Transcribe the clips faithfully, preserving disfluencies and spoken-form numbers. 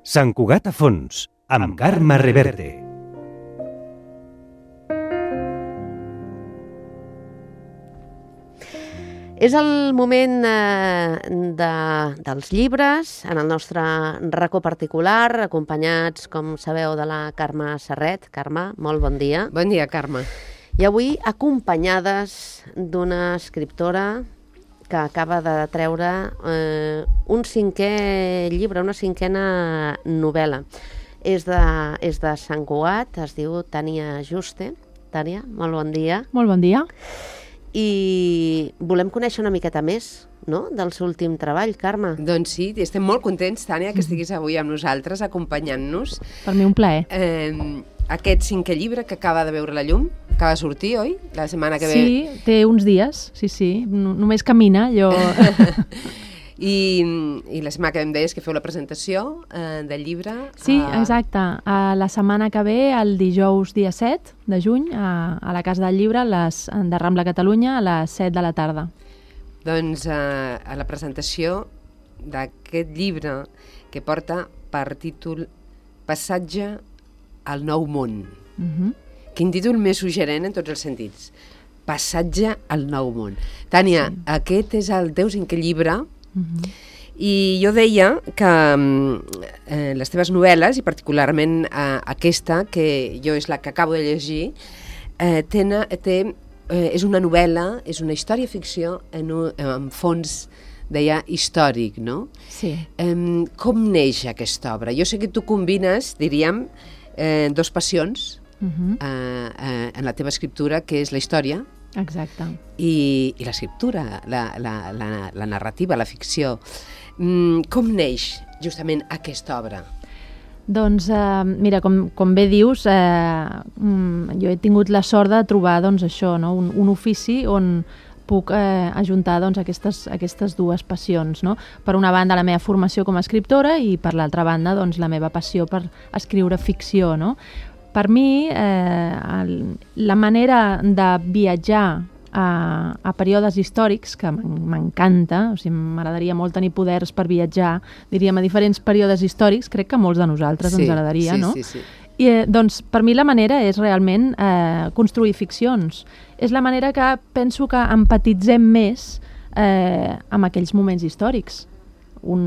Sant Cugat a fons, amb Carme Reverte. És el moment eh, de, dels llibres, en el nostre racó particular, acompanyats, com sabeu, de la Carme Serret. Carme, molt bon dia. Bon dia, Carme. I avui acompanyades d'una escriptora que acaba de treure eh, un cinquè llibre, una cinquena novel·la. És de, és de Sant Cugat, es diu Tània Juste. Tània, molt bon dia. Molt bon dia. I volem conèixer una miqueta més, no?, del seu últim treball, Carme. Doncs sí, estem molt contents, Tània, que estiguis avui amb nosaltres, acompanyant-nos. Per mi un plaer. Eh, aquest cinquè llibre que acaba de veure la llum, acaba de sortir, oi? La setmana que ve... Sí, té uns dies, sí, sí, només camina, jo... I, I la setmana que ve em deies que feu la presentació eh, del llibre. Sí, a... exacte. A la setmana que ve, el dijous dia set de juny, a, a la Casa del Llibre, les, de Rambla, Catalunya, a les set de la tarda. Doncs eh, a la presentació d'aquest llibre que porta per títol Passatge al nou món. Uh-huh. Quin títol més suggerent en tots els sentits. Passatge al nou món. Tània, sí. Aquest és el teu cinquè llibre. Uh-huh. I jo deia que eh, les teves novel·les, i particularment eh, aquesta, que jo és la que acabo de llegir, eh, tena, té, eh, és una novel·la, és una història-ficció en, un, en fons, deia, històric, no? Sí. Eh, com neix aquesta obra? Jo sé que tu combines, diríem, eh, dos passions uh-huh. eh, eh, en la teva escriptura, que és la història, exacte. I, i l'escriptura, la, la, la, la narrativa, la ficció. Mm, com neix justament aquesta obra? Doncs, eh, mira, com, com bé dius, eh, jo he tingut la sort de trobar doncs, això, no? un, un ofici on puc eh, ajuntar doncs, aquestes, aquestes dues passions. No? Per una banda, la meva formació com a escriptora i per l'altra banda, doncs, la meva passió per escriure ficció, no? Per mi, eh, el, la manera de viatjar a, a períodes històrics, que m'encanta, o sigui, m'agradaria molt tenir poders per viatjar, diríem, a diferents períodes històrics, crec que a molts de nosaltres sí, ens agradaria, sí, no? Sí, sí. I, eh, doncs, per mi la manera és realment eh, construir ficcions. És la manera que penso que empatitzem més eh, amb aquells moments històrics. Un,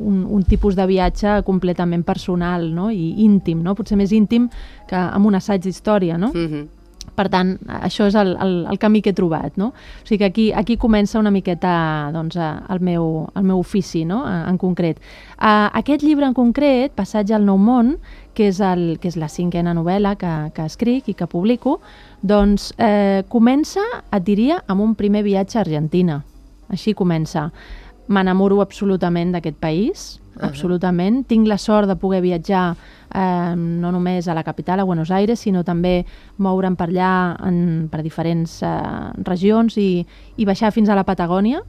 un, un tipus de viatge completament personal, no? I íntim, no? Potser més íntim que amb un assaig d'història, no? Mm-hmm. Per tant, això és el, el, el camí que he trobat, no? O sigui que aquí, aquí comença una miqueta doncs, el, meu, el meu ofici, no? En concret. Uh, aquest llibre en concret, Passatge al nou món, que és, el, que és la cinquena novel·la que, que escric i que publico, doncs eh, comença, et diria, amb un primer viatge a Argentina. Així comença. M'enamoro absolutament d'aquest país, uh-huh. absolutament. Tinc la sort de poder viatjar eh, no només a la capital, a Buenos Aires, sinó també moure'm per allà en, per diferents eh, regions i, i baixar fins a la Patagònia.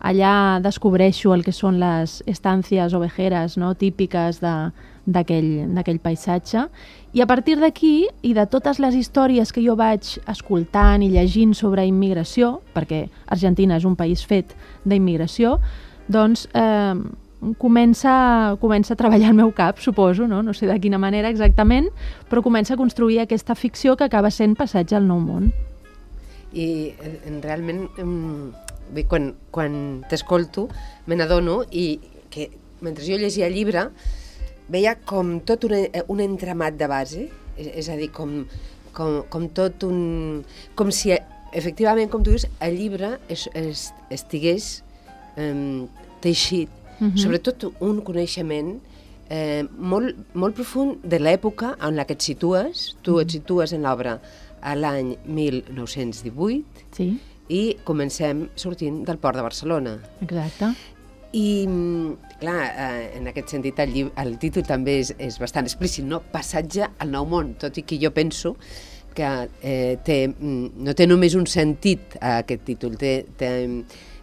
Allà descobreixo el que són les estàncies ovejeres, no?, típiques d'aquell paisatge. I a partir d'aquí, i de totes les històries que jo vaig escoltant i llegint sobre immigració, perquè Argentina és un país fet d'immigració, doncs eh, comença, comença a treballar el meu cap, suposo, no? No sé de quina manera exactament, però comença a construir aquesta ficció que acaba sent Passatge al nou món. I eh, realment... Um... Bé, quan, quan t'escolto me n'adono i que mentre jo llegia el llibre veia com tot un, un entramat de base, és, és a dir, com, com, com tot un... com si efectivament, com tu dius, el llibre es, es, estigués um, teixit, uh-huh. sobretot un coneixement eh, molt, molt profund de l'època en la que et situes, tu uh-huh. et situes en l'obra a l'any mil nou-cents divuit, sí. i comencem sortint del port de Barcelona. Exacte. I, clar, eh, en aquest sentit el, llibre, el títol també és, és bastant explícit, no? Passatge al nou món, tot i que jo penso que eh, té, no té només un sentit eh, aquest títol, té, té,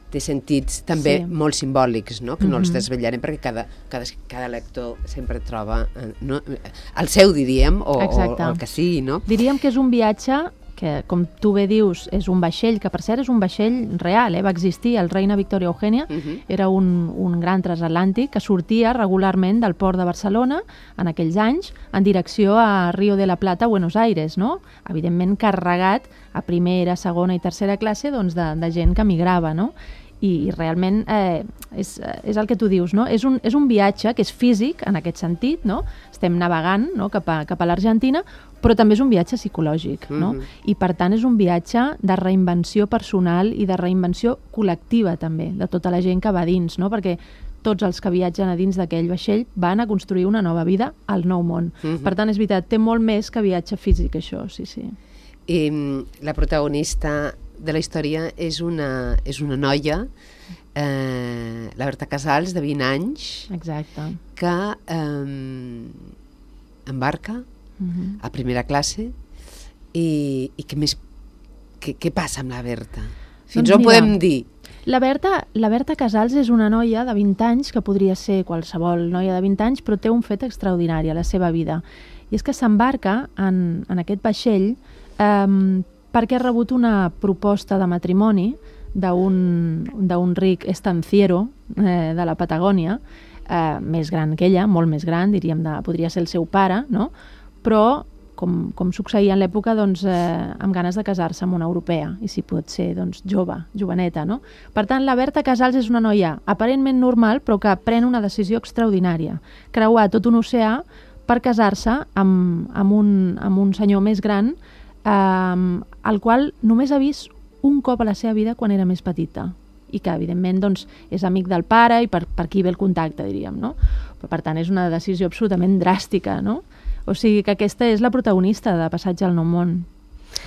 té sentits també sí. molt simbòlics, no? Que no mm-hmm. els desvetllarem perquè cada, cada, cada lector sempre troba eh, no? el seu, diríem, o, o, o el que sigui, no? Diríem que és un viatge que, com tu bé dius, és un vaixell, que per cert és un vaixell real, eh? Va existir, el Reina Victoria Eugènia, uh-huh. era un, un gran transatlàntic que sortia regularment del port de Barcelona en aquells anys en direcció a Río de la Plata, Buenos Aires, no? Evidentment carregat a primera, segona i tercera classe doncs, de, de gent que migrava, no? I, i realment eh, és, és el que tu dius, no? És un, és un viatge que és físic en aquest sentit, no? Estem navegant, no? cap a, cap a l'Argentina, però també és un viatge psicològic, no? Mm-hmm. I per tant és un viatge de reinvenció personal i de reinvenció col·lectiva també, de tota la gent que va dins, no? Perquè tots els que viatgen a dins d'aquell vaixell van a construir una nova vida al nou món. Mm-hmm. Per tant, és veritat, té molt més que viatge físic, això, sí, sí. I la protagonista de la història és una, és una noia, eh, la Berta Casals, de vint anys, exacte, que eh, embarca uh-huh. a primera classe i, i què més què, què passa amb la Berta? Fins doncs on mira, podem dir? La Berta, la Berta Casals és una noia de vint anys, que podria ser qualsevol noia de vint anys, però té un fet extraordinari a la seva vida. I és que s'embarca en, en aquest vaixell eh, perquè ha rebut una proposta de matrimoni d'un ric estanciero eh, de la Patagònia, eh, més gran que ella, molt més gran, diríem, de, podria ser el seu pare, no? Però, com, com succeïa en l'època, doncs, eh, amb ganes de casar-se amb una europea, i si pot ser doncs, jove, joveneta. No? Per tant, la Berta Casals és una noia aparentment normal, però que pren una decisió extraordinària, creuar tot un oceà per casar-se amb, amb, un, amb un senyor més gran, Um, el qual només ha vist un cop a la seva vida quan era més petita i que evidentment doncs, és amic del pare i per, per aquí ve el contacte, diríem, no? Però, per tant, és una decisió absolutament dràstica, no? O sigui que aquesta és la protagonista de Passatge al Nou Món.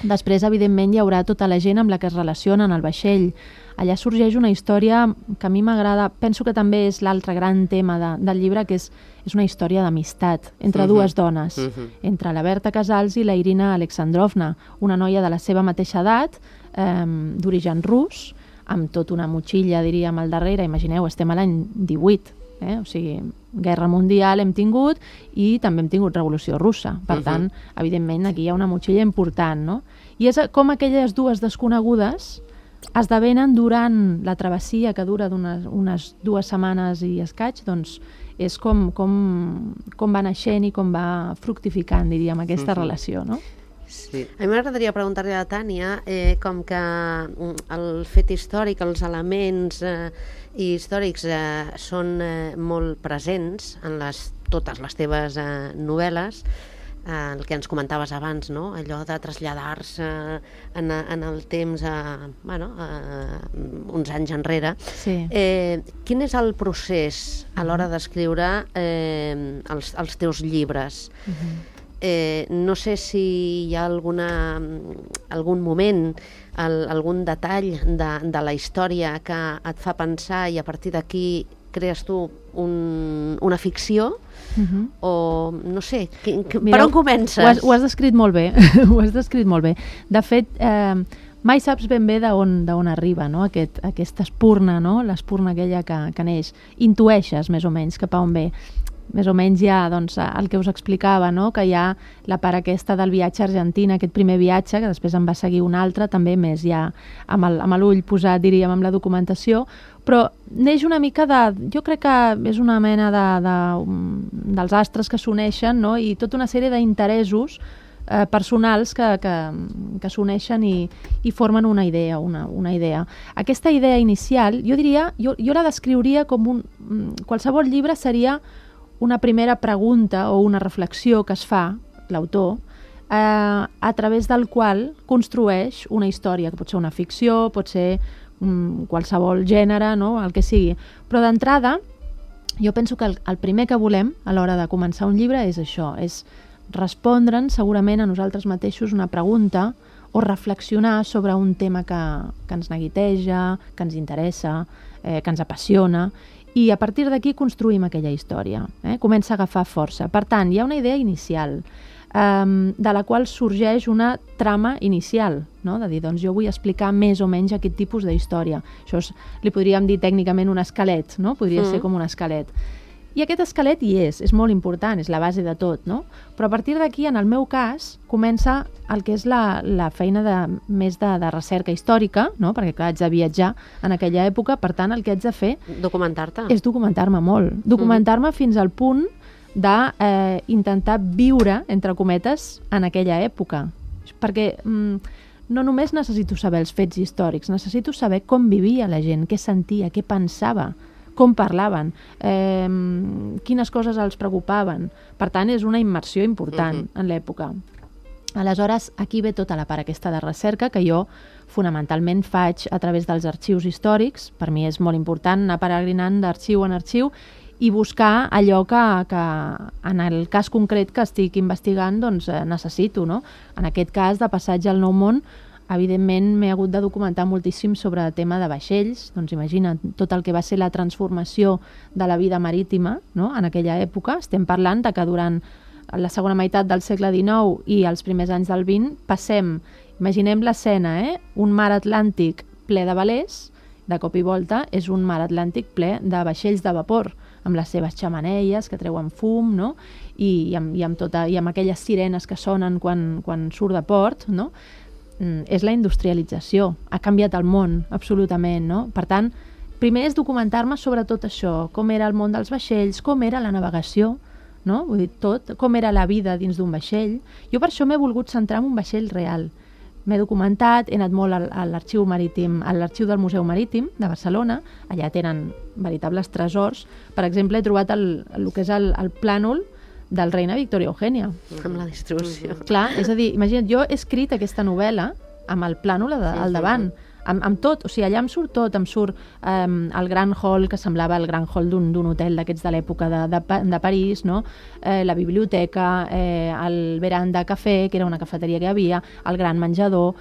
Després, evidentment, hi haurà tota la gent amb la que es relacionen al vaixell. Allà sorgeix una història que a mi m'agrada, penso que també és l'altre gran tema de, del llibre, que és, és una història d'amistat entre uh-huh. dues dones, uh-huh. entre la Berta Casals i la Irina Alexandrovna, una noia de la seva mateixa edat, eh, d'origen rus, amb tota una motxilla, diríem, al darrere. Imagineu, estem a l'any divuit, eh? O sigui, guerra mundial hem tingut i també hem tingut revolució russa. Per uh-huh. tant, evidentment, aquí hi ha una motxilla important, no? I és com aquelles dues desconegudes esdevenen durant la travessia que dura d'unes unes dues setmanes i escaig, doncs és com, com, com va naixent i com va fructificant, diríem, aquesta uh-huh. relació, no? Sí. A mi m'agradaria preguntar-li a la Tània eh, com que el fet històric, els elements eh, històrics eh, són eh, molt presents en les, totes les teves eh, novel·les, eh, el que ens comentaves abans, no? Allò de traslladar-se en, en el temps a, bueno, a uns anys enrere. Sí. Eh, quin és el procés a l'hora d'escriure eh, els, els teus llibres? Uh-huh. Eh, no sé si hi ha alguna, algun moment, el, algun detall de, de la història que et fa pensar i a partir d'aquí crees tu un, una ficció, uh-huh. o no sé, que, que, Mira, per on comences? Ho has, ho has descrit molt bé, ho has descrit molt bé. De fet, eh, mai saps ben bé d'on d'on arriba, no? Aquest, aquesta espurna, no? L'espurna aquella que, que neix. Intueixes més o menys cap a on ve. Més o menys ja doncs, el que us explicava, no? Que hi ha la part aquesta del viatge a Argentina, aquest primer viatge, que després en va seguir un altre, també més ja amb l'ull posat, diríem, amb la documentació, però neix una mica de... Jo crec que és una mena de, de, dels astres que s'uneixen, no? I tota una sèrie d'interessos eh, personals que, que, que s'uneixen i, i formen una idea, una, una idea. Aquesta idea inicial, jo diria, jo, jo la descriuria com un... Qualsevol llibre seria una primera pregunta o una reflexió que es fa l'autor eh, a través del qual construeix una història, que pot ser una ficció, pot ser um, qualsevol gènere, no? El que sigui. Però d'entrada, jo penso que el, el primer que volem a l'hora de començar un llibre és això, és respondre'ns segurament a nosaltres mateixos una pregunta o reflexionar sobre un tema que, que ens neguiteja, que ens interessa, eh, que ens apassiona, i a partir d'aquí construïm aquella història, eh? Comença a agafar força. Per tant, hi ha una idea inicial, eh, de la qual sorgeix una trama inicial, no? De dir, doncs jo vull explicar més o menys aquest tipus d'història. Això és, li podríem dir tècnicament un esquelet, no? Podria mm. ser com un esquelet. I aquest esquelet hi és, és molt important, és la base de tot, no? Però a partir d'aquí, en el meu cas, comença el que és la, la feina de, més de, de recerca històrica, no? Perquè clar, haig de viatjar en aquella època, per tant, el que haig de fer Documentar-te. és documentar-me molt. Documentar-me mm. fins al punt d'intentar eh, viure, entre cometes, en aquella època. Perquè mm, no només necessito saber els fets històrics, necessito saber com vivia la gent, què sentia, què pensava, com parlaven, eh, quines coses els preocupaven. Per tant, és una immersió important uh-huh. en l'època. Aleshores, aquí ve tota la part aquesta de recerca que jo fonamentalment faig a través dels arxius històrics. Per mi és molt important anar peregrinant d'arxiu en arxiu i buscar allò que, que en el cas concret que estic investigant doncs, eh, necessito. No? En aquest cas, de Passatge al Nou Món, evidentment m'he hagut de documentar moltíssim sobre el tema de vaixells, doncs imagina't tot el que va ser la transformació de la vida marítima, no? En aquella època. Estem parlant de que durant la segona meitat del segle dinou i els primers anys del vint passem, imaginem l'escena, eh? Un mar Atlàntic ple de velers, de cop i volta és un mar Atlàntic ple de vaixells de vapor, amb les seves xemeneies que treuen fum, no? I, i, amb, i, amb tota, i amb aquelles sirenes que sonen quan, quan surt de port, no? És la industrialització, ha canviat el món absolutament, no? Per tant, primer és documentar-me sobre tot això, com era el món dels vaixells, com era la navegació, no? Vull dir, tot, com era la vida dins d'un vaixell. Jo per això m'he volgut centrar en un vaixell real. M'he documentat, he anat molt a l'arxiu marítim, a l'arxiu del Museu Marítim de Barcelona, allà tenen veritables tresors. Per exemple, he trobat el, el que és el, el plànol del Reina Victoria Eugènia. Amb la distribució. Clar, és a dir, imagina't, jo he escrit aquesta novel·la amb el plànol al davant, amb, amb tot, o sigui, allà em surt tot, em surt um, el gran hall, que semblava el gran hall d'un hotel d'aquests de l'època de, de, de París, no? eh, la biblioteca, eh, el veranda cafè, que era una cafeteria que hi havia, el gran menjador.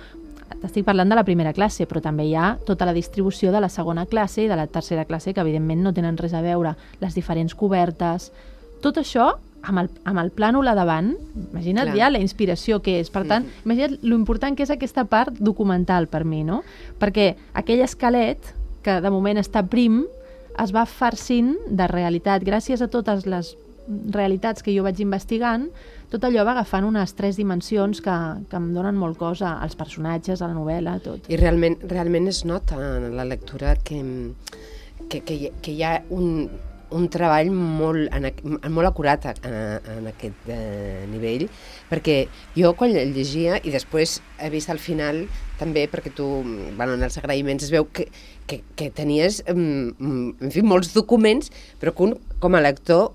T'estic parlant de la primera classe, però també hi ha tota la distribució de la segona classe i de la tercera classe, que evidentment no tenen res a veure, les diferents cobertes. Tot això amb el, amb el plànol a davant, imagina't Clar. Ja la inspiració que és. Per tant, mm. imagina't l'important que és aquesta part documental per mi, no? Perquè aquell esquelet, que de moment està prim, es va farcint de realitat. Gràcies a totes les realitats que jo vaig investigant, tot allò va agafant unes tres dimensions que, que em donen molt cosa, als personatges, a la novel·la, tot. I realment, realment es nota en la lectura que, que, que, hi, que hi ha un... un treball molt, molt acurat en, en aquest eh, nivell, perquè jo quan el llegia, i després he vist al final també, perquè tu, bueno, en els agraïments es veu que, que, que tenies, en fi, molts documents, però que un, com a lector,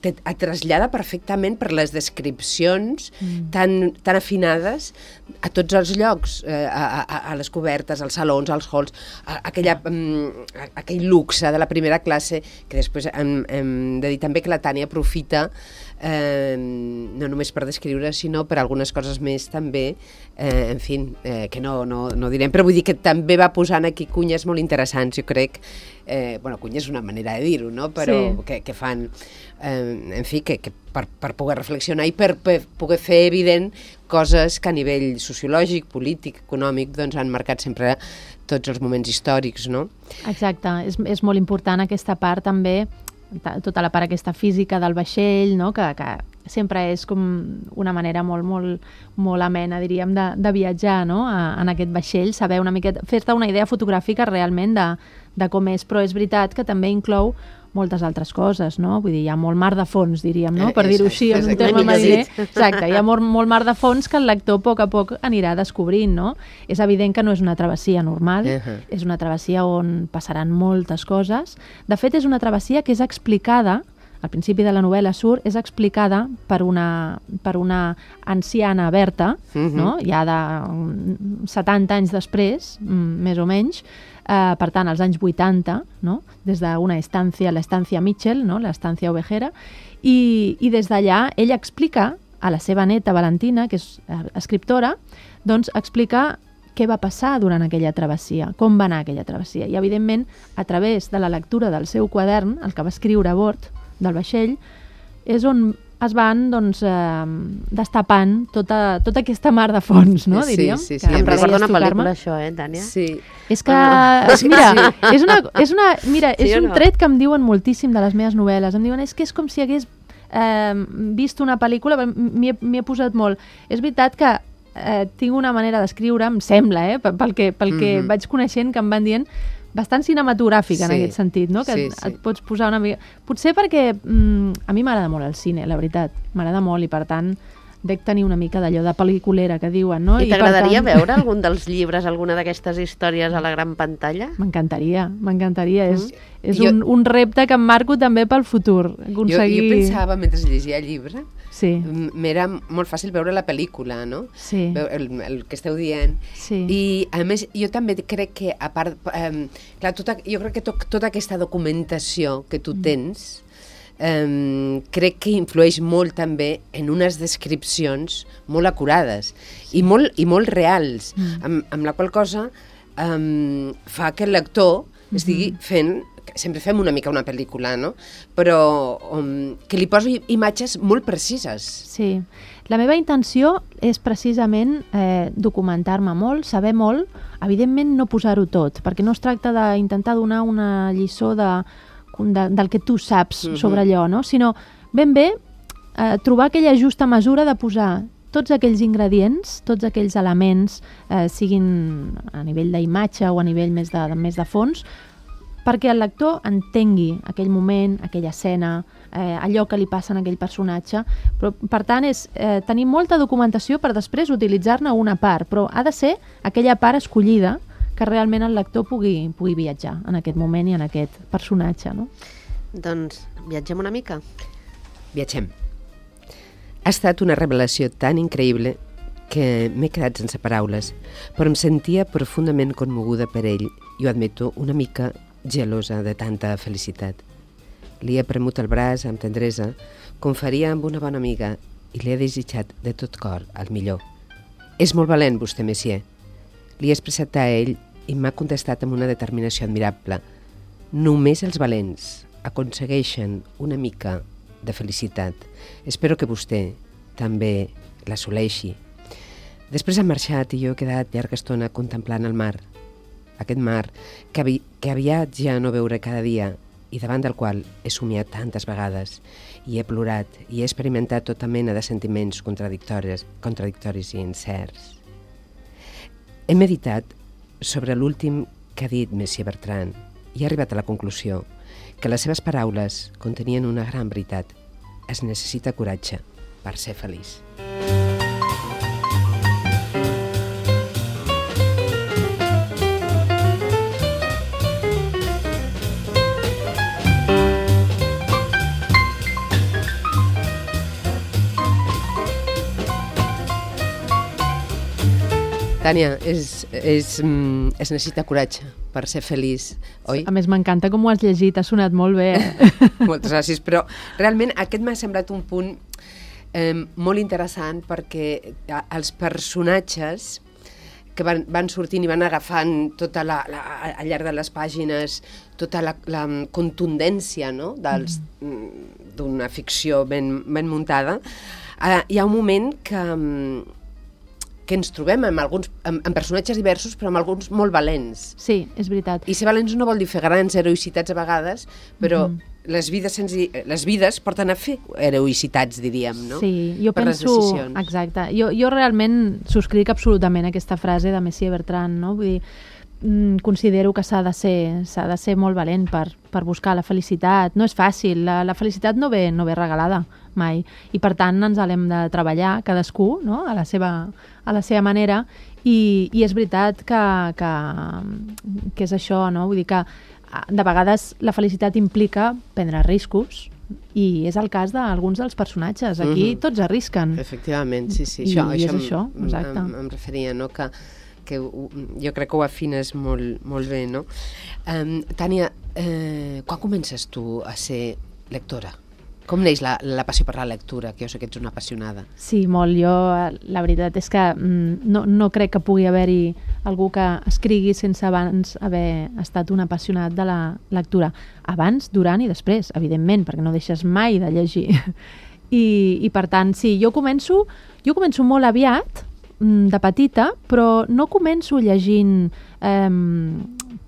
te, et trasllada perfectament per les descripcions mm. tan, tan afinades a tots els llocs, a, a, a les cobertes, als salons, als halls, a, a aquella, a, aquell luxe de la primera classe, que després hem, hem de dir també que la Tània aprofita eh, no només per descriure, sinó per algunes coses més també, eh, en fi, eh, que no, no, no direm, però vull dir que també va posant aquí cunyes molt interessants, jo crec, eh, bueno, cunyes és una manera de dir-ho, no? Però sí. que, que fan, eh, en fi, que, que per, per poder reflexionar i per, per poder fer evident coses que a nivell sociològic, polític, econòmic, doncs han marcat sempre tots els moments històrics, no? Exacte, és, és molt important aquesta part també, tota la part aquesta física del vaixell, no? que, que sempre és com una manera molt, molt, molt amena, diríem, de, de viatjar, no? a, en aquest vaixell, saber una miqueta, fer-te una idea fotogràfica realment de, de com és, però és veritat que també inclou moltes altres coses, no? Vull dir, hi ha molt mar de fons, diríem, no? Per dir-ho així, en un terme mariner. Exacte, hi ha molt, molt mar de fons que el lector a poc a poc anirà descobrint, no? És evident que no és una travessia normal, uh-huh. és una travessia on passaran moltes coses. De fet, és una travessia que és explicada, al principi de la novel·la surt, és explicada per una, per una anciana Berta, uh-huh. no? Ja de setanta anys després, més o menys, Uh, per tant, als anys vuitanta, no? Des d'una estància, l'estància Mitchell, no? L'estància ovejera, i, i des d'allà ella explica a la seva neta Valentina, que és escriptora, doncs explica què va passar durant aquella travessia, com va anar aquella travessia. I, evidentment, a través de la lectura del seu quadern, el que va escriure a bord del vaixell, és on es van doncs, eh, destapant tota, tota aquesta mar de fons, no, Sí, diríem? sí, sí. Que Em a més- recorda una podries tocar-me. pel·lícula, això, eh, Tània? Sí. És que, Ah. mira, és, una, és, una, mira, Sí és o un no? tret que em diuen moltíssim de les meves novel·les. Em diuen, és que és com si hagués eh, vist una pel·lícula, m'hi he, m'hi he posat molt. És veritat que eh, tinc una manera d'escriure, em sembla, eh, pel que, pel que Mhm. vaig coneixent, que em van dient, bastant cinematogràfica en Sí, aquest sentit, no? Que sí, et, sí. et pots posar una mica... Potser perquè mm, a mi m'agrada molt el cine, la veritat. M'agrada molt i, per tant, dec tenir una mica d'allò de pel·liculera que diuen, no? I per t'agradaria tant- veure algun dels llibres, alguna d'aquestes històries a la gran pantalla? M'encantaria, m'encantaria. És, és Jo- un, un repte que em marco també pel futur. Jo, Aconseguir... jo pensava, mentre llegia el llibre, Sí, m- m'era molt fàcil veure la pel·lícula, no? sí, Veu- El, el que esteu dient. sí. I, a més, jo també crec que, a part... Eh, clar, tota, jo crec que to, tota aquesta documentació que tu tens eh, crec que influeix molt també en unes descripcions molt acurades i molt, i molt reals, Mm. amb, amb la qual cosa eh, fa que el lector estigui fent, sempre fem una mica una pel·lícula, no? Però um, que li posi imatges molt precises. Sí. La meva intenció és precisament eh, documentar-me molt, saber molt, evidentment no posar-ho tot, perquè no es tracta d'intentar donar una lliçó de, de, del que tu saps Mhm. sobre allò, no? Sinó ben bé eh, trobar aquella justa mesura de posar tots aquells ingredients, tots aquells elements, eh, siguin a nivell d'imatge o a nivell més de, de, més de fons, perquè el lector entengui aquell moment, aquella escena, eh, allò que li passa a aquell personatge. Però, per tant, és eh, tenir molta documentació per després utilitzar-ne una part, però ha de ser aquella part escollida que realment el lector pugui, pugui viatjar en aquest moment i en aquest personatge. No? Doncs viatgem una mica. Viatgem. Ha estat una revelació tan increïble que m'he quedat sense paraules, però em sentia profundament commoguda per ell i ho admeto, una mica gelosa de tanta felicitat. Li he premut el braç amb tendresa, com faria amb una bona amiga, i li he desitjat de tot cor el millor. És molt valent, vostè, Messier. Li he expressat a ell i m'ha contestat amb una determinació admirable. Només els valents aconsegueixen una mica de felicitat. Espero que vostè també l'assoleixi. Després ha marxat i jo he quedat llarga estona contemplant el mar. Aquest mar que, avi que aviat ja no veuré cada dia i davant del qual he somiat tantes vegades i he plorat i he experimentat tota mena de sentiments contradictoris, contradictoris i incerts. He meditat sobre l'últim que ha dit Messier Bertrand i he arribat a la conclusió que les seves paraules contenien una gran veritat. Es necessita coratge per ser feliç. Tània, és, és, mm, es necessita coratge per ser feliç, oi? A més, m'encanta com ho has llegit, ha sonat molt bé. Eh? Moltes gràcies, però realment aquest m'ha semblat un punt eh, molt interessant perquè eh, els personatges que van, van sortint i van agafant tota la, la, al llarg de les pàgines tota la, la contundència, no? dels, mm. d'una ficció ben, ben muntada, eh, hi ha un moment que, que ens trobem amb, alguns, amb, amb personatges diversos però amb alguns molt valents. Sí, és veritat. I ser valents no vol dir fer grans heroïcitats a vegades, però Mhm. les, vides senzi... les vides porten a fer heroïcitats, diríem, no? Sí, jo Per les penso... decisions. Exacte. Jo, jo realment subscric absolutament aquesta frase de Messier Bertrand, no? Vull dir, mm, considero que s'ha de ser s'ha de ser molt valent per, per buscar la felicitat. No és fàcil, la, la felicitat no ve, no ve regalada mai, i per tant ens l'hem de treballar cadascú, no? a, la seva, a la seva manera, i, i és veritat que, que, que és això, no? Vull dir que de vegades la felicitat implica prendre riscos, i és el cas d'alguns dels personatges. Aquí Mhm. tots arrisquen. Efectivament, sí, sí. I- això, i és em- això, em- exacte. Em, em referia, no?, que, que ho- jo crec que ho afines molt, molt bé, no? Um, Tània, eh, quan comences tu a ser lectora? Com neix la, la passió per la lectura, que jo sé que ets una apassionada? Sí, molt. Jo, la veritat és que mm, no, no crec que pugui haver-hi algú que escrigui sense abans haver estat un apassionat de la lectura. Abans, durant i després, evidentment, perquè no deixes mai de llegir. I, i per tant, sí, jo començo, jo començo molt aviat, de petita, però no començo llegint eh,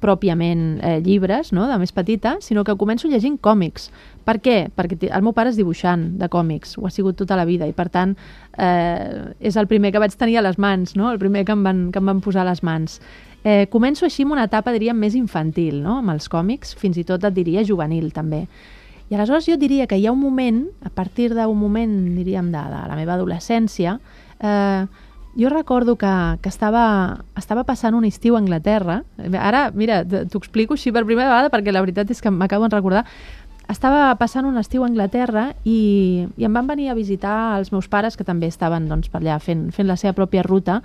pròpiament eh, llibres, no?, de més petita, sinó que començo llegint còmics. Per què? Perquè el meu pare és dibuixant de còmics, ho ha sigut tota la vida, i per tant eh, és el primer que vaig tenir a les mans, no?, el primer que em van, que em van posar a les mans. Eh, començo així amb una etapa, diríem, més infantil, no?, amb els còmics, fins i tot et diria juvenil, també. I aleshores jo diria que hi ha un moment, a partir d'un moment, diríem, de, de la meva adolescència, eh, jo recordo que, que estava, estava passant un estiu a Anglaterra. Ara, mira, t'ho explico així per primera vegada perquè la veritat és que m'acabo de recordar. Estava passant un estiu a Anglaterra i, i em van venir a visitar els meus pares, que també estaven doncs, per allà fent, fent la seva pròpia ruta.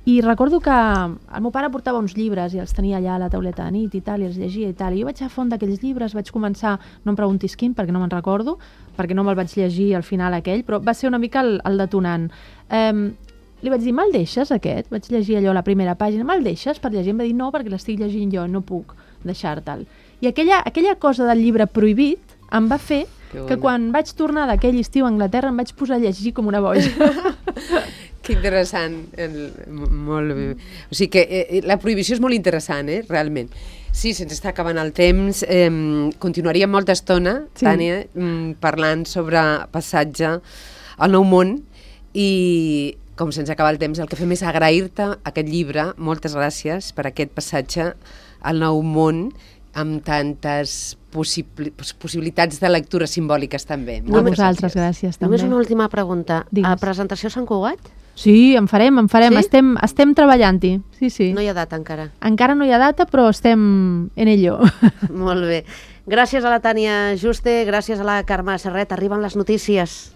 I recordo que el meu pare portava uns llibres i els tenia allà a la tauleta de nit i tal, i els llegia i tal. I jo vaig agafar un d'aquells llibres, vaig començar, no em preguntis quin, perquè no me'n recordo, perquè no me'l vaig llegir al final aquell, però va ser una mica el, el detonant. Eh, Li vaig dir, me'l deixes aquest? Vaig llegir allò a la primera pàgina, me'l deixes per llegir? Em va dir, no, perquè l'estic llegint jo, no puc deixar-te'l. I aquella, aquella cosa del llibre prohibit em va fer que, que quan vaig tornar d'aquell estiu a Anglaterra em vaig posar a llegir com una boja. Que interessant, el, molt bé. O sigui que eh, la prohibició és molt interessant, eh, realment. Sí, se'ns està acabant el temps. Eh, continuaríem molta estona, sí. Tània, parlant sobre passatge al Nou Món i com se'ns acaba el temps, el que fem és agrair-te aquest llibre. Moltes gràcies per aquest passatge al Nou Món amb tantes possibli possibilitats de lectura simbòliques també. A vosaltres, gràcies. També. Només una última pregunta. Digues. A presentació a Sant Cugat? Sí, en farem, en farem. Sí? Estem, estem treballant-hi. Sí, sí. No hi ha data encara? Encara no hi ha data, però estem en ello. Molt bé. Gràcies a la Tània Juste, gràcies a la Carme Serret. Arriben les notícies.